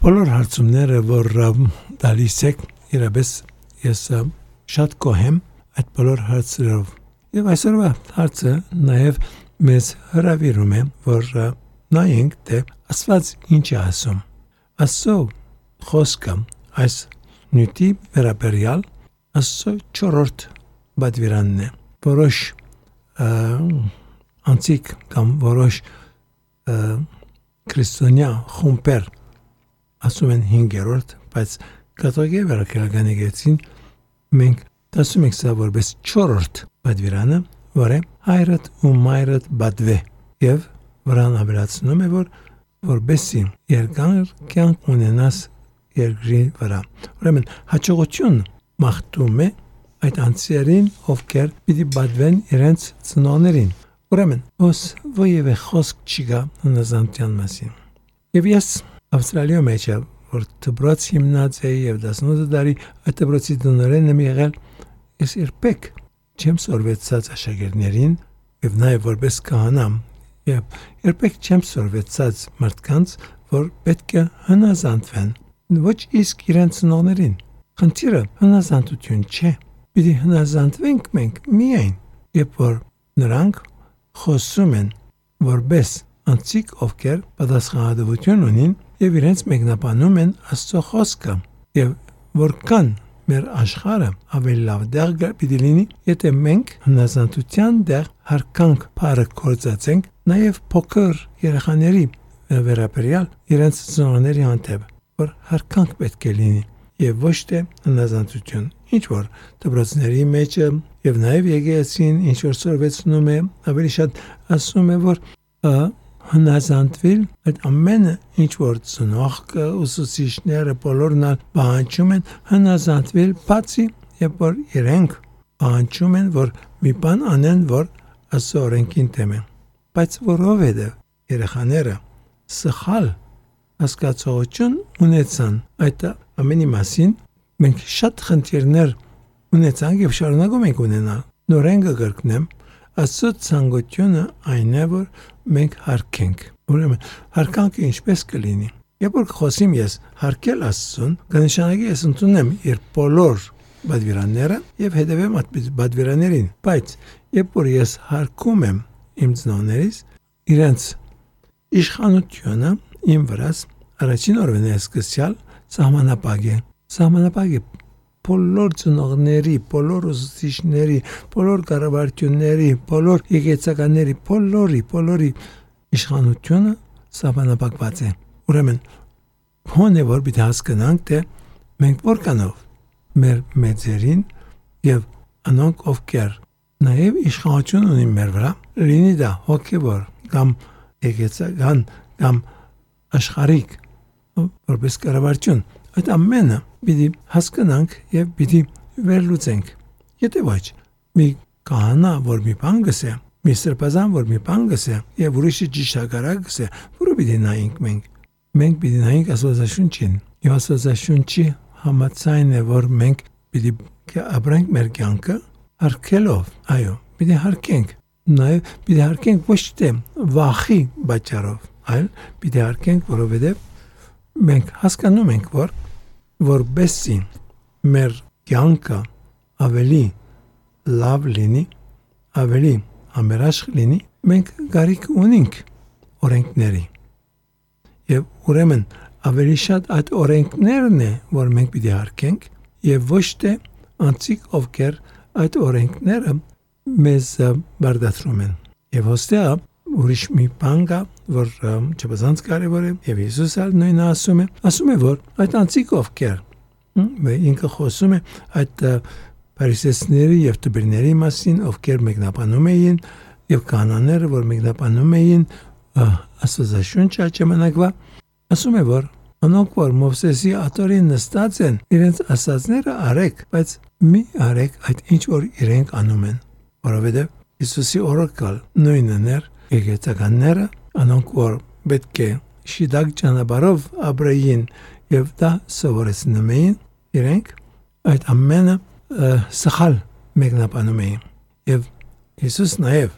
բոլոր հարցումները, որ դալիս եք, իրապես ես շատ կոհեմ այդ բոլոր հարցերով։ Եվ այսօրվա հարցը նաև մեզ հրավիրում է, որ նայենք, թե Աստված ինչ է ասում։ Աստծո խոսքը այս նյութի վերաբերյալ Աստծո 4-րդ բադվիրանն է։ Որոշ անցիկ կամ որոշ քրիստոնյա խումբեր ասում են 5-րդ, բայց կաթողիկե վերակերականի գեցին մենք ասում ենք սա որպես 4-րդ բադվիրանը, որը հայրդ ու մայրդ բադվե եւ վրան ավելացնում է, որբեսի երկար կյանք ունենաս երկրի վրա։ Ուրեմն հաջողություն մաղթում է այդ անձերին, ովքեր պիտի բադվեն իրենց ծնողներին։ Ուրեմն ոսևէ խոսք չկա հնազանդության մասին։ Եվ ես Ավստրալիա մեջ որ դպրոց հիմնած էի եւ 18 տարի այդ դպրոցի տնօրենն եմ եղել, ես երբեք չեմ սորվեցած աշակերտներին եւ նաեւ որպես քահանա եւ երբեք չեմ սորվեցած մարդկանց, որ պետք է հնազանդվեն ոչ իսկ իրենց ծնողներին։ Խնդիրը հնազանդություն չէ։ Պիտի հնազանդվենք մենք միայն, երբ որ նրանք խոսում են որպես անձիկ, ովքեր պատասխանատվություն ունին եւ իրենց մեկնաբանում են Աստծո խոսքը եւ որքան մեր աշխարհը ավելի լավ դեղ պիտի լինի, եթե մենք հնազանդության դեղ հարկանք բարը կործացենք նաեւ փոքր երեխաների վերաբերյալ իրենց ծնողների հանդեպ, որ հարկանք պետք է լինի եւ ոչ թե հնազանդություն։ Ինչ որ դպրոցների մեջ եւ նաեւ եկեղեցին ինչ որ սորվեցնում է, ավելի շատ ասում է, որ հնազանդվել այդ ամենը ինչ որ ծնողքը, ուսուցիչները բոլորն պահանջում են հնազանդվել, բացի երբ որ իրենք պահանջում են, որ մի բան անեն, որ Աստծո օրենքին դեմ է։ Բայց որովհետեւ երեխաները սխալ հասկացողություն ունեցան այդ ամենի մասին, մենք շատ խնդիրներ ունեցանք եւ շարունակում ենք ունենալ։ Նորեն կգրկնեմ, Աստծո ցանկությունը այն է, որ մենք հարգենք։ Ուրեմն հարգանքը ինչպես կլինի։ Երբ որ խոսիմ ես հարգել Աստծուն, կնշանակի ես ընդունեմ իր բոլոր բադվիրանները եւ հետեւեմ այդ բադվիրաներին։ Բայց երբ որ ես հարգում եմ իմ ծնողներից, իրենց իշխանությունը իմ վրաս առաջին օրվան է սկսյալ սահմանապակ է։ Սահմանապակ է բոլոր ծնողների, բոլոր ուսուցիչների, բոլոր կառավարությունների, բոլոր եկեղեցականների, բոլորի իշխանությունը սահմանապակված է։ Ուրեմն հոնե որ պիտի հասկանանք, թե մենք որքանով մեր մեծերին եւ անոնք ովքեր նաեւ իշխանություն ունին մեր վրա, լինի դա հոգեվոր կամ եկեղեցական կամ աշխարհիկ որպես կառավարություն, այդ ամենը պիտի հասկանանք եւ պիտի վերլուծենք։ Եթե ոչ, մի քահանա, որ մի բան գսե, մի սրբազան, որ մի բան գսե, եւ ուրիշը ճիշտակարակ գսե, որը պիտի նայենք մենք։ Մենք պիտի նայենք Աստվածաշունչին։ Եվ Աստվածաշունչի համաձայն է, որ մենք պիտի ապրենք մեր կյանքը հարգելով։ Այո, պիտի հարգենք։ Նաեւ պիտի հարգենք ոչ թե վախի պատճառով, այլ պիտի հարգենք, որովհետեւ մենք հասկանում ենք, որ որբեսի մեր կյանքը ավելի լավ լինի, ավելի համերաշխ լինի, մենք գարիք ունենք օրենքների։ Եվ ուրեմն ավելի շատ այդ օրենքներն է, որ մենք պիտի հարգենք, եւ ոչ թե անձիկ, ովքեր այդ օրենքները մեզ բարդացնում են։ Եվ հստակ ուրիշ մի բան կա, որ չբազանց կարևոր է, եւ Հիսուսը նույնը ասում է, որ այդ անձիկ ովքեր ինքը խոսում է այդ փարիսեցիների եւ տբիրների մասին, ովքեր մեկնաբանում էին եւ կանանները, որ մեկնաբանում էին Աստվածաշունչը ժամանակվա, ասում է, որ անոնք որ Մովսեսի աթոռին նստած են, իրենց ասածները արեք, բայց մի արեք այդ ինչ որ իրենք անում են, որովհետեւ Հիսուսի օրոքալ նույնն էր եկեղեցականները, անոնք որ պետք է շիդակ ճանապարհով ապրեին եւ դա սովորեցնում էին, իրենք այդ ամենը սխալ մեկնաբանում էին։ Եվ Հիսուս նաեւ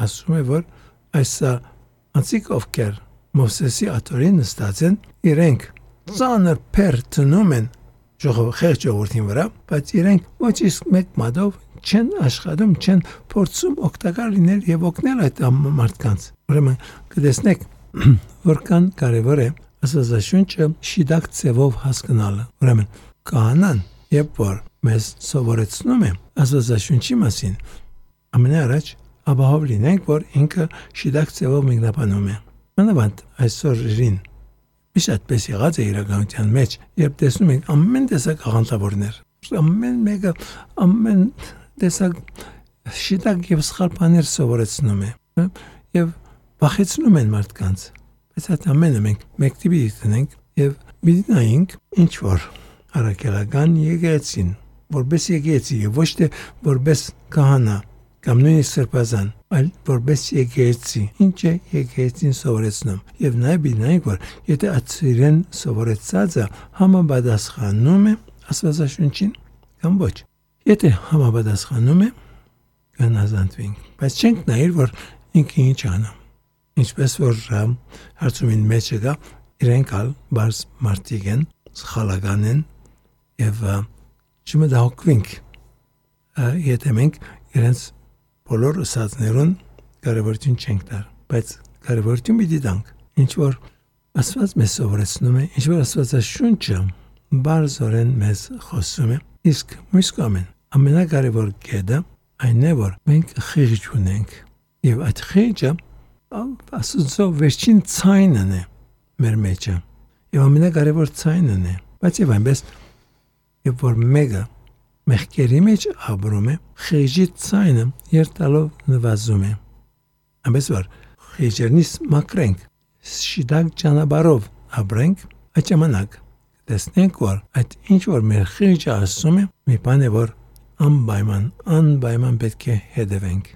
ասում է, որ այս անցիկ ովքեր Մովսեսի աթոռին նստած են, իրենք ծանր փեր տնում են խեղճ ժողովրդին վրա, բայց իրենք ոչ իսկ մեկ մատով չեն աշխատում, չեն փորձում օգտակար լինել եւ օգնել այդ մարդկանց։ Ուրեմն կտեսնեք, որքան կարևոր է Աստվածաշունչը շիդակ ձևով հասկանալը։ Ուրեմն քահանան, երբ որ մեզ սովորեցնում է Աստվածաշունչի մասին, ամենաառաջ ապահով լինենք, որ ինքը շիդակ ձևով մեկնաբանում է։ Մանավանդ այսօրին միշտապես եղած է իրականության մեջ, երբ տեսնում ենք ամեն տեսակ աղանդավորներ, ամեն մեկը ամեն տեսակ շիդակ եւ սխալ բաներ սովորեցնում է եւ վախեցնում են մարդկանց։ Բայց այդ ամենը մենք մեկ տիպի դնենք եւ մի նայենք ինչ որ առաքելական եկեղեցին, որպես եկեղեցի եւ ոչ թե որպես քահանա կամ նույնիսկ սրբազան, այլ որպես եկեղեցի, ինչ է եկեղեցին սովորեցնում եւ նաեւ նայենք, որ եթե այցիրեն սովորեցածը համապատասխանում է Աստվածաշունչին կամ ոչ։ Եթե համապատասխանում է, կհնազանդվենք, բայց չենք նայել, որ ինքը ինչ անում։ Ինչպես որ հարցումին մեջ կա, իրենք ալ բարձ մարդիկ են, սխալական են եւ չմտահոգվենք, եթե մենք իրենց բոլոր ըսածներուն կարևորություն չենք տար, բայց կարևորություն պիտի տանք, ինչ որ Աստված մեզ սովորեցնում է, ինչ որ Աստվածաշունչը բարձորեն մեզ խոսում է, իսկ մյուս կողմեն ամենակարևոր կետը այն է, որ մենք խիղճ ունենք եւ այդ խիղճը Աստծո վերջին ցայնն է մեր մեջը եւ ամենակարևոր ցայնն է, բայց եւ այնպես երբ որ մեկը մեղքերի մեջ ապրում է, խիղճի ցայնը երթալով նվազում է։ Այնպես որ խիղճերնից մաքրենք, շիդակ ճանապարհով ապրենք, այդ ժամանակ տեսնենք, որ այդ ինչ որ մեր խիղճը ասում է, մի բան է, որ անպայման պետք է հետևենք։